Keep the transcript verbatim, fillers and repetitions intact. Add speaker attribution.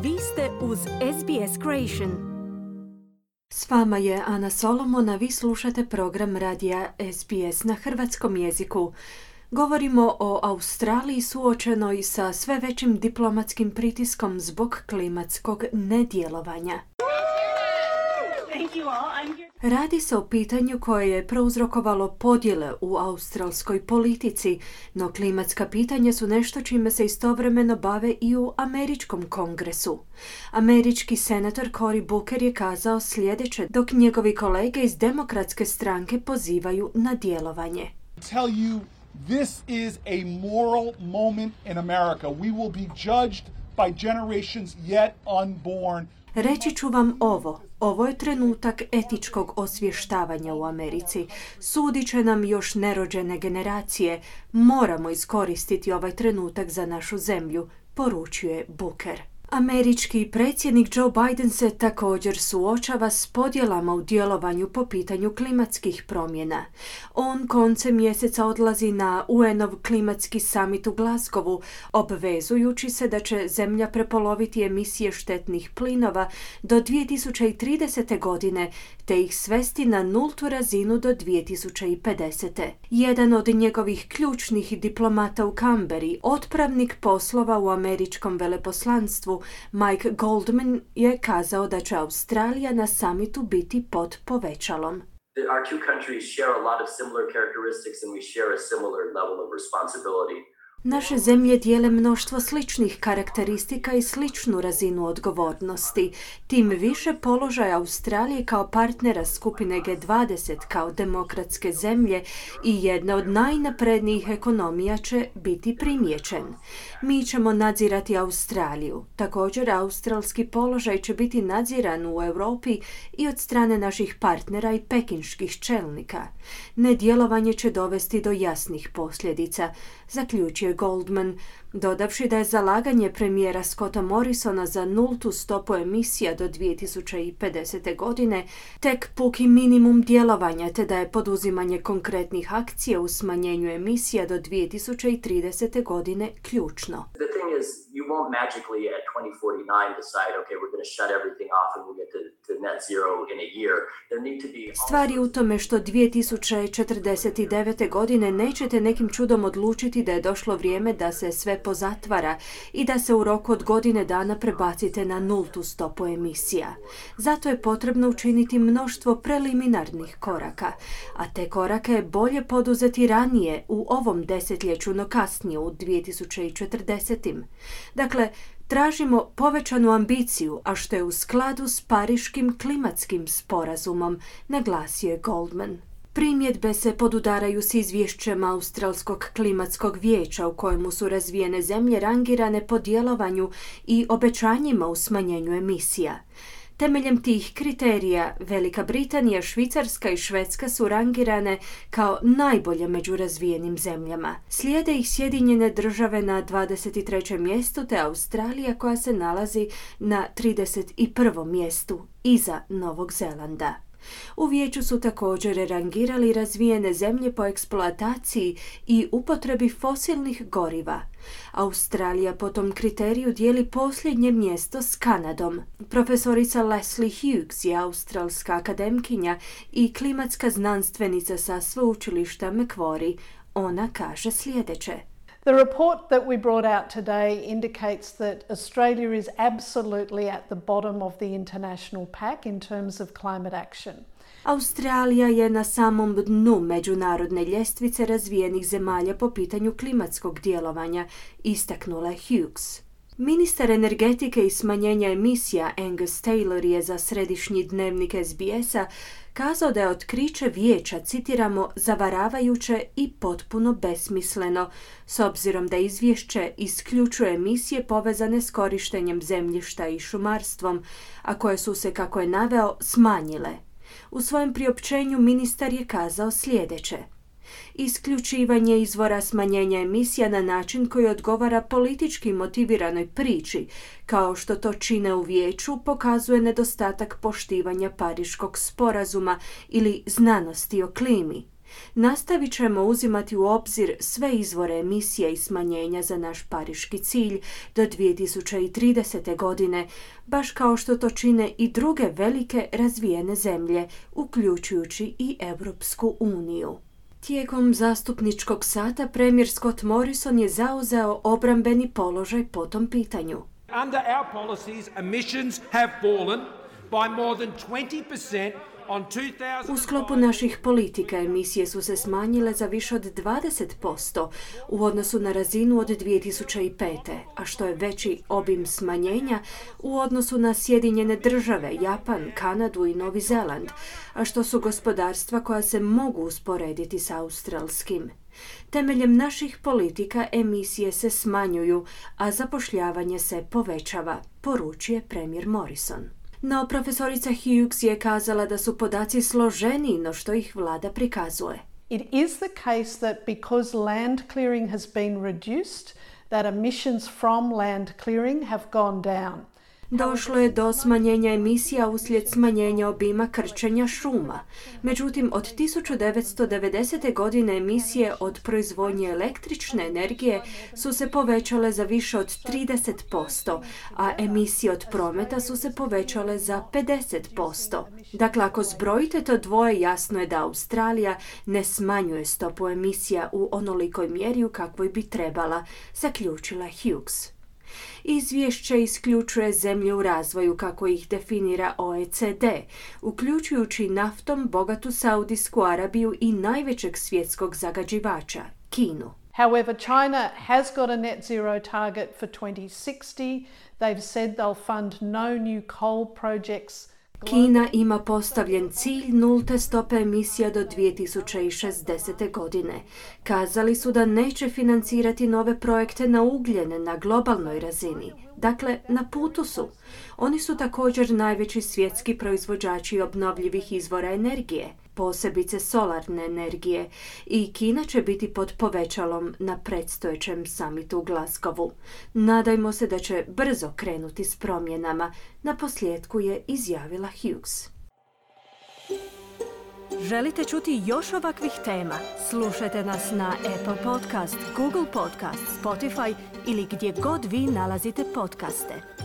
Speaker 1: Vi ste uz S B S Creation.
Speaker 2: S vama je Ana Solomon, a vi slušate program radija S B S na hrvatskom jeziku. Govorimo o Australiji suočenoj sa sve većim diplomatskim pritiskom zbog klimatskog nedjelovanja. Radi se o pitanju koje je prouzrokovalo podjele u australskoj politici, no klimatska pitanja su nešto čime se istovremeno bave i u američkom kongresu. Američki senator Cory Booker je kazao sljedeće, dok njegovi kolege iz demokratske stranke pozivaju na djelovanje.
Speaker 3: Tell you, this is a moral moment in America. We will be judged by generations yet unborn.
Speaker 2: Reći ću vam ovo. Ovo je trenutak etičkog osvještavanja u Americi. Sudit će nam još nerođene generacije. Moramo iskoristiti ovaj trenutak za našu zemlju, poručuje Booker. Američki predsjednik Joe Biden se također suočava s podjelama u djelovanju po pitanju klimatskih promjena. On koncem mjeseca odlazi na U N-ov klimatski summit u Glasgowu, obvezujući se da će zemlja prepoloviti emisije štetnih plinova do dvije tisuće tridesete. godine, te ih svesti na nultu razinu do dvije tisuće pedesete. Jedan od njegovih ključnih diplomata u Canberri, otpravnik poslova u američkom veleposlanstvu, Mike Goldman, je kazao da će Australija na samitu biti pod povećalom.
Speaker 4: Our two countries share a lot of similar characteristics and we share a similar level of responsibility.
Speaker 2: Naše zemlje dijele mnoštvo sličnih karakteristika i sličnu razinu odgovornosti. Tim više položaj Australije kao partnera skupine G dvadeset kao demokratske zemlje i jedna od najnaprednijih ekonomija će biti primijećen. Mi ćemo nadzirati Australiju. Također, australski položaj će biti nadziran u Europi i od strane naših partnera i pekinških čelnika. Nedjelovanje će dovesti do jasnih posljedica, zaključio Goldman, dodavši da je zalaganje premijera Scotta Morrisona za nultu stopu emisija do dvije tisuće pedesete. godine tek puki minimum djelovanja, te da je poduzimanje konkretnih akcija u smanjenju emisija do dvije tisuće tridesete. godine ključno.
Speaker 4: The thing is, you won't magically at twenty forty-nine decide, okay, we're going to shut everything off and we'll get to, to net zero in a year. There need to be...
Speaker 2: Stvar je u tome što dvije tisuće četrdeset devete. godine nećete nekim čudom odlučiti da je došlo vrijeme da se sve pozatvara i da se u roku od godine dana prebacite na nultu stopu emisija. Zato je potrebno učiniti mnoštvo preliminarnih koraka, a te korake je bolje poduzeti ranije u ovom desetljeću, no kasnije u dvije tisuće četrdeset. Dakle, tražimo povećanu ambiciju, a što je u skladu s Pariškim klimatskim sporazumom, naglasio je Goldman. Primjedbe se podudaraju s izvješćem Australskog klimatskog vijeća u kojemu su razvijene zemlje rangirane po djelovanju i obećanjima u smanjenju emisija. Temeljem tih kriterija Velika Britanija, Švicarska i Švedska su rangirane kao najbolje među razvijenim zemljama. Slijede ih Sjedinjene države na dvadeset trećem mjestu te Australija koja se nalazi na trideset prvom mjestu iza Novog Zelanda. U vijeću su također rangirali razvijene zemlje po eksploataciji i upotrebi fosilnih goriva. Australija po tom kriteriju dijeli posljednje mjesto s Kanadom. Profesorica Leslie Hughes je australska akademkinja i klimatska znanstvenica sa sveučilišta Macquarie. Ona kaže sljedeće.
Speaker 5: The report that we brought out today indicates that Australia is absolutely at the bottom of the international pack in terms of climate action.
Speaker 2: Australija je na samom dnu međunarodne ljestvice razvijenih zemalja po pitanju klimatskog djelovanja, istaknula Hughes. Ministar energetike i smanjenja emisija Angus Taylor je za središnji dnevnik S B S-a kazao da je otkriće vijeća, citiramo, zavaravajuće i potpuno besmisleno, s obzirom da izvješće isključuje emisije povezane s korištenjem zemljišta i šumarstvom, a koje su se, kako je naveo, smanjile. U svojem priopćenju ministar je kazao sljedeće. Isključivanje izvora smanjenja emisija na način koji odgovara politički motiviranoj priči, kao što to čine u vijeću, pokazuje nedostatak poštivanja Pariškog sporazuma ili znanosti o klimi. Nastavit ćemo uzimati u obzir sve izvore emisije i smanjenja za naš pariški cilj do dvije tisuće tridesete. godine, baš kao što to čine i druge velike razvijene zemlje, uključujući i Europsku uniju. Tijekom zastupničkog sata premijer Scott Morrison je zauzeo obrambeni položaj po tom pitanju.
Speaker 6: Under our policies, emissions have fallen by more than twenty percent.
Speaker 2: U sklopu naših politika emisije su se smanjile za više od dvadeset posto u odnosu na razinu od dvije tisuće pete. a što je veći obim smanjenja u odnosu na Sjedinjene države, Japan, Kanadu i Novi Zeland, a što su gospodarstva koja se mogu usporediti s australskim. Temeljem naših politika emisije se smanjuju, a zapošljavanje se povećava, poručuje premijer Morrison. No, profesorica Hughes je kazala da su podaci složeniji no što ih vlada prikazuje.
Speaker 5: It is the case that because land clearing has been reduced, that emissions from land clearing have gone down.
Speaker 2: Došlo je do smanjenja emisija uslijed smanjenja obima krčenja šuma. Međutim, od tisuću devetsto devedesete. godine emisije od proizvodnje električne energije su se povećale za više od trideset posto, a emisije od prometa su se povećale za pedeset posto. Dakle, ako zbrojite to dvoje, jasno je da Australija ne smanjuje stopu emisija u onolikoj mjeri u kakvoj bi trebala, zaključila Hughes. Izvješće isključuje zemlje u razvoju kako ih definira O E C D, uključujući naftom bogatu Saudijsku Arabiju i najvećeg svjetskog zagađivača, Kinu.
Speaker 5: However, China has got a net zero target for twenty sixty. They've said they'll fund no new coal projects.
Speaker 2: Kina ima postavljen cilj nulte stope emisija do dvije tisuće šezdesete. godine. Kazali su da neće financirati nove projekte na ugljen na globalnoj razini. Dakle, na putu su. Oni su također najveći svjetski proizvođači obnovljivih izvora energije, posebice solarne energije, i Kina će biti pod povećalom na predstojećem samitu u Glasgowu. Nadajmo se da će brzo krenuti s promjenama, na posljedku je izjavila Hughes.
Speaker 1: Želite čuti još ovakvih tema? Slušajte nas na Apple Podcast, Google Podcast, Spotify ili gdje god vi nalazite podcaste.